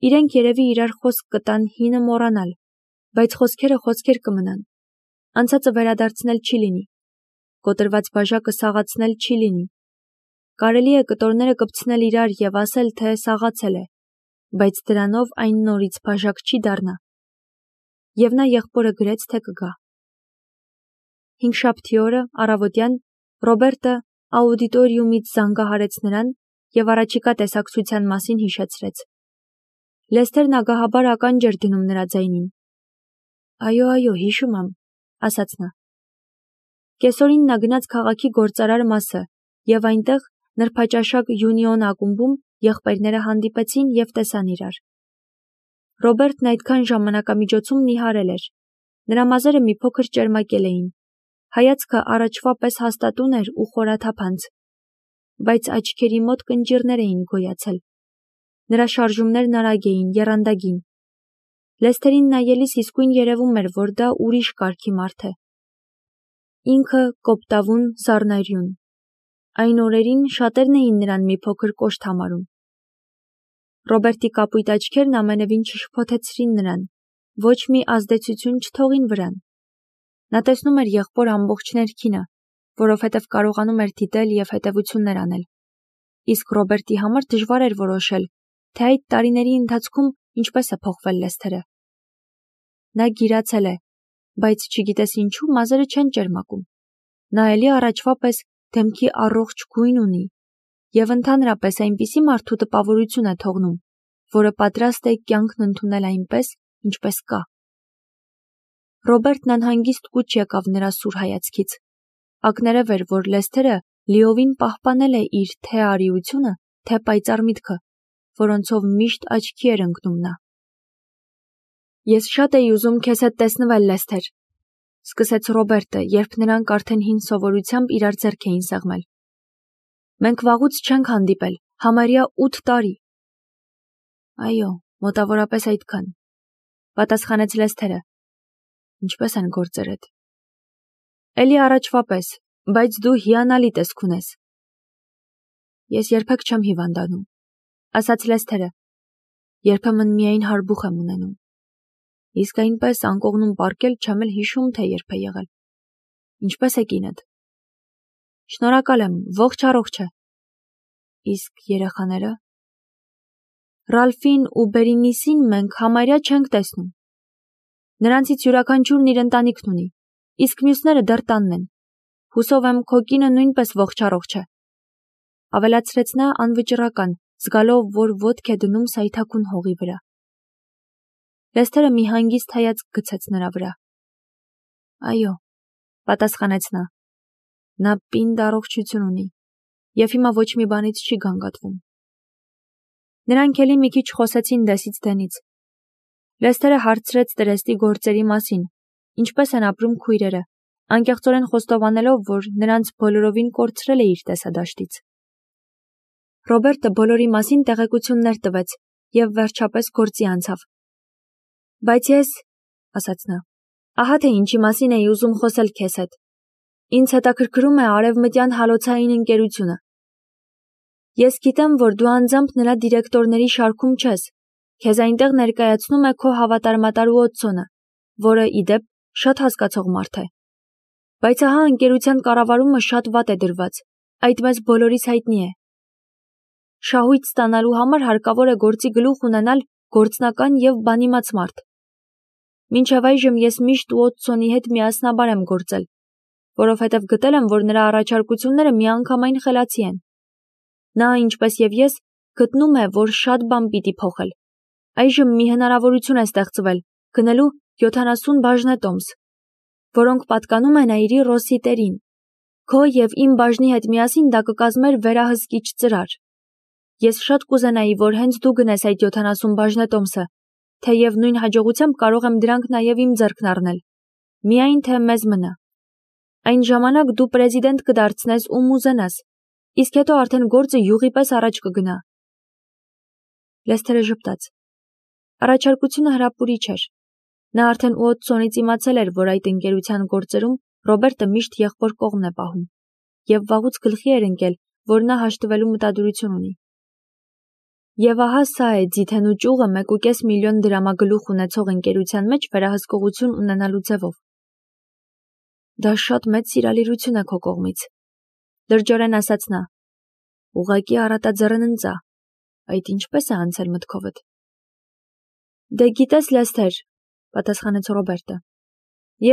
Իրենք երևի իրար խոսք կտան հինը մոռանալ, բայց խոսքերը խոսքեր կմնան։ Անցածը վերադարձնել չի լինի, կոտրված բաժակը սաղացնել չի լինի։ Կարելի է կտորները կպցնել իրար և ասել, թե սաղացել է, բայց դրանով այն նորից բաժակ չի դառնա։ Եվ նա եղբորը գրեց, թե կգա։ Հինգշաբթի օրը առավոտյան Ռոբերտը աուդիտորիումից զանգահարեց նրան և առաջիկա տեսակցության մասին հիշեցրեց։ Լեսթերն ագահաբար ականջ էր դնում նրա ձայնին։ Այո, հիշում եմ, ասաց նա։ Կեսօրին նա գնաց քաղաքի գործարար մասը և այնտեղ նրբաճաշակ Յունիոն ակումբում եղբայրները հանդիպեցին և տեսան իրար։ Ռոբերտն այդքան ժամանակամիջոցում նիհարել էր։ Նրա մազերը մի փոքր ճերմակել էին։ Հայացքը առաջվա պես հաստատուն էր ու խորաթափանց, բայց աչքերի մոտ կնճիռներ էին գոյացել։ Նրա շարժումներն արագ էին, եռանդագին։ Լեսթերին նայելիս իսկույն երևում էր, որ դա ուրիշ կարգի մարդ է։ Ինքը կոպտավուն, զառնայրյուն։ Այն օրերին շատերն էին նրան մի փոքր կոշտ համարում։ Ռոբերտի կապույտ աչքերն ամենևին չշփոթեցրին նրան, ոչ մի ազդեցություն չթողին վրան։ Նա տեսնում էր եղբոր ամբողջ ներքինը, որովհետև կարողանում էր դիտել և հետևություններ անել։ Իսկ Ռոբերտի համար դժվար էր որոշել, թե այդ տարիների ընթացքում ինչպես է փոխվել Լեսթերը։ Նա գիրացել է, բայց չգիտես ինչու մազերը չեն ճերմակում։ Նա էլի առաջվա պես դեմքի առողջ գույն ունի և ընդհանրապես այնպիսի մարդու տպավորություն է թողնում, որը պատրաստ է կյանքն ընդունել այնպես, ինչպես կա։ Ռոբերտն անհանգիստ կուչ եկավ նրա սուր հայացքից։ Ակներև էր, որ Լեսթերը լիովին պահպանել է իր թե արիությունը, թե պայծառ միտքը, որոնցով միշտ աչքի էր ընկնում նա։ Ես շատ էի ուզում քեզ հետ տեսնվել, Լեսթեր, սկսեց Ռոբերտը, երբ նրանք արդեն հին սովորությամբ իրար ձեռք էին սեղմել։ Մենք վաղուց չենք հանդիպել, համարյա 8 տարի։ Այո, մոտավորապես այդքան, պատասխանեց Լեսթերը։ Ինչպես են գործերդ։ Էլի առաջվա պես, բայց դու հիանալի տեսք ունես։ Ես երբեք չեմ հիվանդանում, ասաց Լեսթերը։ Երբեմն միայն հարբուխ եմ ունենում։ Իսկ այնպես անկողնում պառկել չեմ էլ հիշում, թե երբ է եղել։ Ինչպես է կինդ։ Շնորհակալ եմ, ողջ առողջ է։ Իսկ երեխաները։ Ռալֆին ու Բերինիսին մենք համարյա չենք տեսնում։ Նրանցից յուրաքանչյուրն իր ընտանիքն ունի, իսկ մյուսները դեռ տանն են։ Հուսով եմ, քո կինը նույնպես ողջ առողջ է։ Ավելացրեց նա անվճռական, զգալով, որ ոտք է դնում սայթաքուն հողի վրա։ Լեսթերը մի հանգիստ հայացք գցեց նրա վրա։ Այո, պատասխանեց նա։ Նա պինդ առողջություն ունի և հիմա ոչ մի բանից չի գանգատվում։ Նրանք էլի մի քիչ խոսեցին դեսից դենից։ Լեսթերը հարցրեց տրեստի գործերի մասին, ինչպես են ապրում քույրերը, անկեղծորեն խոստովանելով, որ նրանց բոլորովին կորցրել է իր տեսադաշտից։ Ռոբերտը բոլորի մասին տեղեկություններ տվեց և վերջապես գործի անցավ։ Բայց ես, ասաց նա, ահա թե ինչի մասին էի ուզում խոսել քեզ հետ։ Ինձ հետաքրքրում է արևմտյան հալոցային ընկերությունը։ Ես գիտեմ, որ դու անձամբ նրա դիրեկտորների շարքում չես։ Քեզ այնտեղ ներկայացնում է քո հավատարմատար Ուոթսոնը, որը, ի դեպ, շատ հասկացող մարդ է։ Բայց ահա ընկերության կառավարումը շատ վատ է դրված, այդ մեզ բոլորիս հայտնի է։ Շահույթ ստանալու համար հարկավոր է գործի գլուխ ունենալ գործնական և բանիմաց մարդ։ Մինչև այժմ ես միշտ Ուոթսոնի հետ միասնաբար եմ գործել, որովհետև գտել եմ, որ նրա առաջարկությունները միանգամայն խելացի են։ Նա, ինչպես և ես, գտնում է, որ շատ բան պիտի փոխել։ Այժմ մի հնարավորություն է ստեղծվել գնելու 70 բաժնետոմս, որոնք պատկանում են այրի Ռոսիտերին։ Քո և իմ բաժնի հետ միասին դա կկազմեր վերահսկիչ ծրար։ Ես շատ կուզենայի, որ հենց դու գնես այդ 70 բաժնետոմսը, թեև նույն հաջողությամբ կարող եմ դրանք նաև իմ ձեռքն առնել։ Միայն թե մեզ մնա։ Այն ժամանակ դու պրեզիդենտ կդարձնես ում ուզենաս, իսկ հետո արդեն գործը յուղի պես առաջ կգնա։ Լեսթերը ժպտաց։ Առաջարկությունը հրապուրիչ էր։ Նա արդեն Ուոթսոնից իմացել էր, որ այդ ընկերության գործերում Ռոբերտը միշտ եղբոր կողմն է պահում, և վաղուց գլխի էր ընկել, որ նա հաշտվելու մտադրություն ունի։ Եվ ահա սա է ձիթենու ճյուղը 1.5 միլիոն դրամագլուխ ունեցող ընկերության մեջ վերահսկողություն ունենալու ձևով։ Դա շատ մեծ սիրալիրություն է քո կողմից, լրջորեն ասաց նա։ Ուղղակի առատաձեռն ընծա, այդ ինչպես է անցել մտքովդ։ Դե գիտես, Լեսթեր, պատասխանեց Ռոբերտը,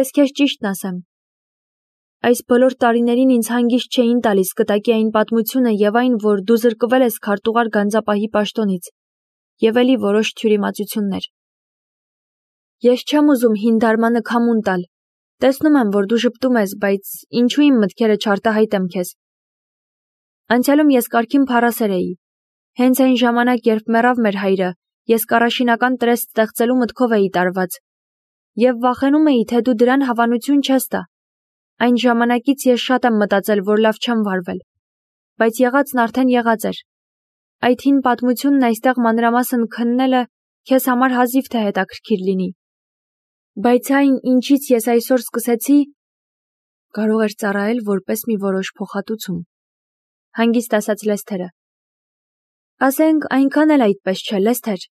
ես քեզ ճիշտն ասեմ։ Այս բոլոր տարիներին ինձ հանգիստ չէին տալիս կտակի այն պատմությունը եւ այն, որ դու զրկվել ես քարտուղար գանձապահի պաշտոնից, եւ էլի որոշ թյուրիմացություններ։ Ես չեմ ուզում հին դարմանը քամուն տալ։ Տեսնում եմ, որ դու ժպտում ես, բայց ինչու իմ մտքերը չարտահայտեմ քեզ։ Անցյալում ես կարգին փառասեր էի։ Հենց այն ժամանակ, երբ մեռավ մեր հայրը, ես կառաշինական տրեստ ստեղծելու մտքով էի տարված։ Եվ վախենում էի, թե դու դրան հավանություն չես տա։ Այն ժամանակից ես շատ եմ մտածել, որ լավ չեմ վարվել, բայց եղածն արդեն եղած էր։ Այդ հին պատմությունն այստեղ մանրամասն քննելը քեզ համար հազիվ թե հետաքրքիր լինի։ Բայց այն, ինչից ես այսօր սկսեցի, կարող էր ծառայել որպես մի որոշ փոխհատուցում։ Հանգիստ ասաց Լեսթերը։ Ասենք, այնքան էլ այդպես չէ, Լեսթեր։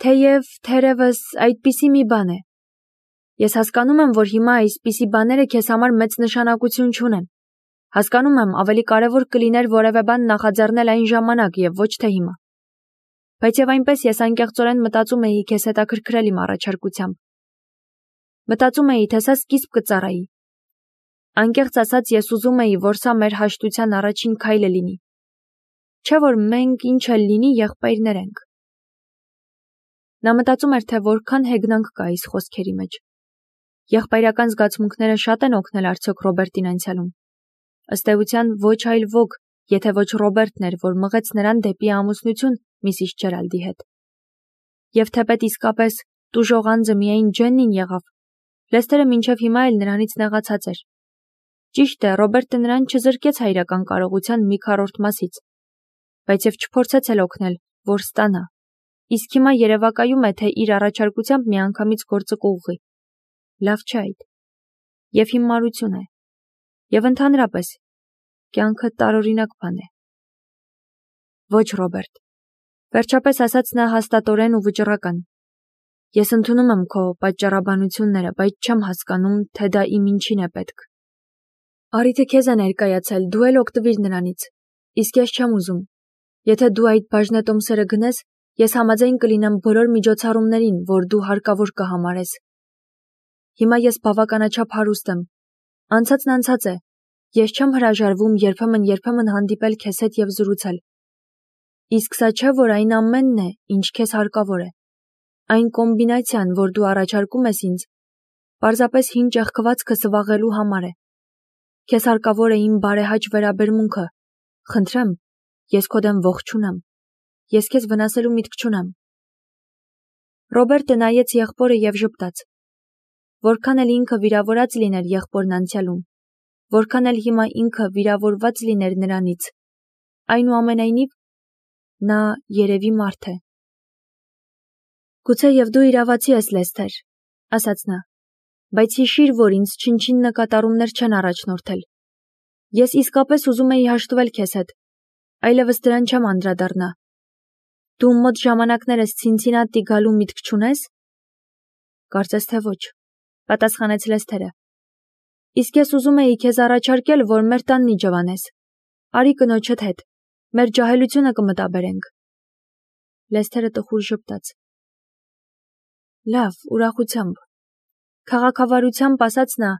Թեև թերևս այդպիսի մի բան է։ Ես հասկանում եմ, որ հիմա այսպիսի բաները քեզ համար մեծ նշանակություն չունեն։ Հասկանում եմ, ավելի կարևոր կլիներ որևէ բան նախաձեռնել այն ժամանակ եւ ոչ թե հիմա։ Բայց եւ այնպես ես անկեղծորեն մտածում էի քեզ հետաքրքրել իմ առաջարկությամբ։ Մտածում էի, թե սա սկիզբ կծառայի։ Անկեղծ ասած, ես ուզում էի, որ սա մեր հաշտության առաջին քայլը լինի։ Չէ՞ որ մենք ինչ էլ լինի եղբայրներ ենք։ Նա մտածում էր, թե որքան հեգնանք կա այս խոսքերի մեջ։ Եղբայրական զգացմունքները շատ են օգնել արդյոք Ռոբերտին անցյալում։ Ըստ էության ոչ այլ ոք, եթե ոչ Ռոբերտն էր, որ մղեց նրան դեպի ամուսնություն Միսիս Ջերալդի հետ։ Եվ թեպետ իսկապես տուժող անձը միայն Ջեննին եղավ, Լեսթերը մինչև հիմա էլ նրանից նեղացած էր։ Ճիշտ է, Ռոբերտը նրան չզրկեց հայրական կարողության մի քառորդ մասից, բայց եւ չփորձեց էլ օգնել, որ ստանա։ Իսկ հիմա երևակայում է, թե իր առաջարկությամբ միանգամից գործը կուղղի։ Լավ չէ այդ։ Եվ հիմարություն է։ Եվ ընդհանրապես, կյանքը տարօրինակ բան է։ Ոչ, Ռոբերտ, վերջապես ասաց նա հաստատորեն ու վճռական։ Ես ընդունում եմ քո պատճառաբանությունները, բայց չեմ հասկանում, թե դա իմ ինչին է պետք։ Արիթը քեզ է ներկայացել, դու էլ օգտվիր նրանից։ Իսկ ես չեմ ուզում։ Եթե դու այդ բաժնետոմսերը գնես, ես համաձայն կլինեմ բոլոր միջոցառումներին, որ դու հարկավոր կհամարես։ Հիմա ես բավականաչափ հարուստ եմ։ Անցածն անցած է։ Ես չեմ հրաժարվում երբեմն հանդիպել քեզ հետ եւ զրուցել։ Իսկ սա չէ, որ այն ամենն է, ինչ քեզ հարկավոր է։ Այն կոմբինացիան, որ դու առաջարկում ես ինձ, պարզապես հին ճեղքվածքը սվաղելու համար է։ Քեզ հարկավոր է իմ բարեհաճ վերաբերմունքը։ Խնդրեմ, ես քո դեմ ողջ չունեմ։ Ես քեզ վնասելու միտք չունեմ։ Ռոբերտը նայեց եղբորը եւ ժպտաց։ Որքան էլ ինքը վիրավորած լիներ եղբորն անցյալում, որքան էլ հիմա ինքը վիրավորված լիներ նրանից, այնուամենայնիվ նա երևի մարդ է։ Գուցե եւ դու իրավացի ես, Լեսթեր, ասաց նա, բայց հիշիր, որ ինձ չնչին նկատառումներ չեն առաջնորդել։ Ես իսկապես ուզում էի հաշտվել քեզ հետ, այլևս դրան չեմ անդրադառնա։ Դու մոտ ժամանակներս Ցինցինատի գալու միտք չունես։ Կարծես թե ոչ, պատասխանեց Լեսթերը։ Իսկ ես ուզում էի քեզ առաջարկել, որ մեր տանն իջևանես։ Արի կնոջդ հետ, մեր ջահելությունը կմտաբերենք։ Լեսթերը տխուր ժպտաց։ Լավ, ուրախությամբ։ Քաղաքավարությամբ ասաց նա,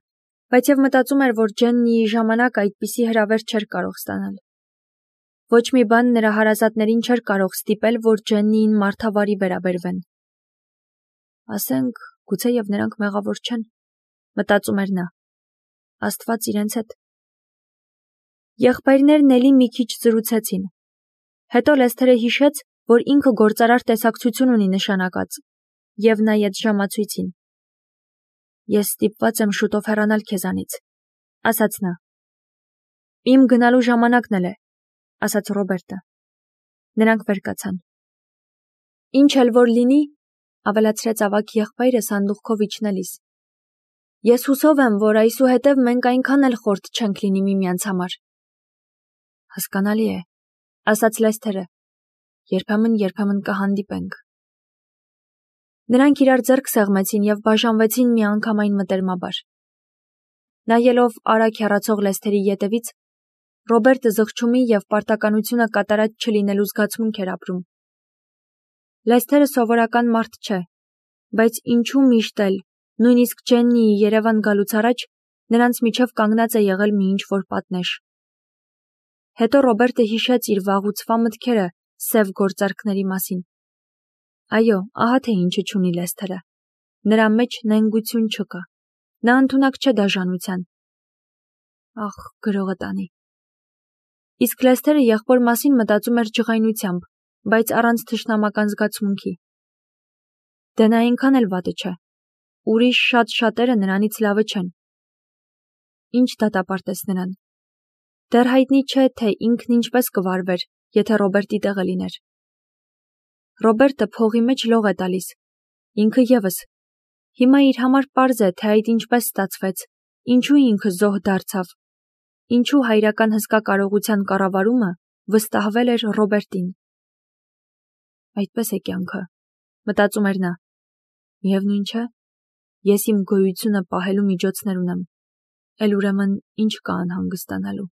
բայց եւ մտածում էր, որ Ջեննիի ժամանակ այդպիսի հրավեր չէր կարող ստանալ։ Ոչ մի բան նրա հարազատներին չէր կարող ստիպել, որ Ջեննիին մարդավարի վերաբերվեն։ Ասենք, գուցե եւ նրանք մեղավոր չեն, մտածում էր նա։ Աստված իրենց հետ։ Եղբայրներն էլի մի քիչ զրուցեցին։ Հետո Լեսթերը հիշեց, որ ինքը գործարար տեսակցություն ունի նշանակած, եւ նայեց ժամացույցին։ Ես ստիպված եմ շուտով հեռանալ քեզանից, ասաց նա։ Իմ գնալու ժամանակն էլ է, ասաց Ռոբերտը։ Նրանք վեր կացան։ Ինչ էլ որ լինի, ավելացրեց ավագ եղբայրը սանդուղքով իջնելիս։ Ես հուսով եմ, որ այսուհետև մենք այնքան էլ խորտ չենք լինի միմյանց համար։ Հասկանալի է, ասաց Լեսթերը։ երբեմն կհանդիպենք։ Նրանք իրար ձեռք սեղմեցին և բաժանվեցին միանգամայն մտերմաբար։ Նայելով արագ հեռացող Լեսթերի ետևից, Ռոբերտը զղջումի և պարտականությունը կատարած չլինելու զգացմունք էր ապրում։ Լեսթերը սովորական մարդ չէ, բայց ինչու միշտ էլ, նույնիսկ Ջեննիի Երևան գալուց առաջ, նրանց միջև կանգնած է եղել մի ինչ-որ պատնեշ։ Հետո Ռոբերտը հիշեց իր վաղուցվա մտքերը սև գործարքների մասին։ Այո, ահա թե ինչը չունի Լեսթերը։ Նրա մեջ նենգություն չկա։ Նա ընդունակ չէ դաժանության։ Ախ, գրողը տանի։ Իսկ Լեսթերը եղբոր մասին մտածում էր ջղայնությամբ, բայց առանց թշնամական զգացմունքի։ Դե նա այնքան էլ վատը չէ։ Ուրիշ շատ-շատերը նրանից լավը չեն։ Ինչ դատապարտես նրան։ Դեռ հայտնի չէ, թե ինքն ինչպես կվարվեր, եթե Ռոբերտի տեղը լիներ։ Ռոբերտը փողի մեջ լող է տալիս։ Ինքը ևս։ Հիմա իր համար պարզ է, թե այդ ինչպես ստացվեց, ինչու ինքը զոհ դարձավ, ինչու հայրական հսկա կարողության կառավարումը վստահվել էր Ռոբերտին։ Այդպես է կյանքը, մտածում էր նա։ Միևնույն չէ, ես իմ գոյությունը պահելու միջոցներ ունեմ, էլ ուրեմն ինչ կա անհանգստանալու։